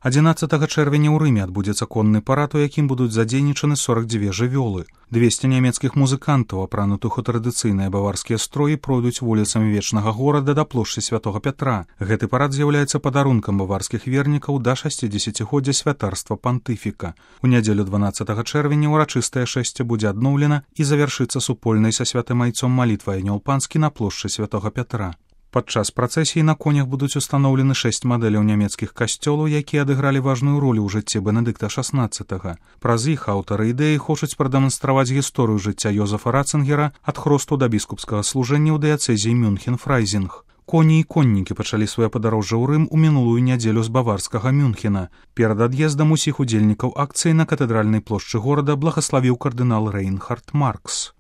11 чэрвеня ў Рыме адбудзецца конны парад, у якім будуць задзейнічаны 42 жывёлы. 200 нямецкіх музыкантаў, апранутых у традыцыйныя баварскія строі, пройдуць вуліцамі вечнага горада да плошчы Святога Пятра. Гэты парад з'яўляецца падарункам баварскіх вернікаў да 60-годдзя святарства пантыфіка. У нядзелю 12 чэрвеня ўрачыстае шэсце будзе адноўлена і завяршыцца супольнай са святым айцом малітвай Анёл Панскі на плошчы Святога Пятра. Падчас працэсіі на конях будуць устаноўлены 6 мадэляў нямецкіх касцёлаў, якія адыгралі важную ролю ў жыцці Бенедыкта XVI. Праз іх аўтары ідэі хочуць прадэманстраваць гісторыю жыцця Йозефа Ратцынгера ад хросту да біскупскага служэння ў дыяцэзіі Мюнхен-Фрайзінг. Коні і коннікі пачалі сваё падарожжа ў Рым у мінулую нядзелю з баварскага Мюнхена. Перад ад'ездам усіх удзельнікаў акцыі на катэдральнай плошчы горада благаславіў кардынал Рэйнхард Маркс.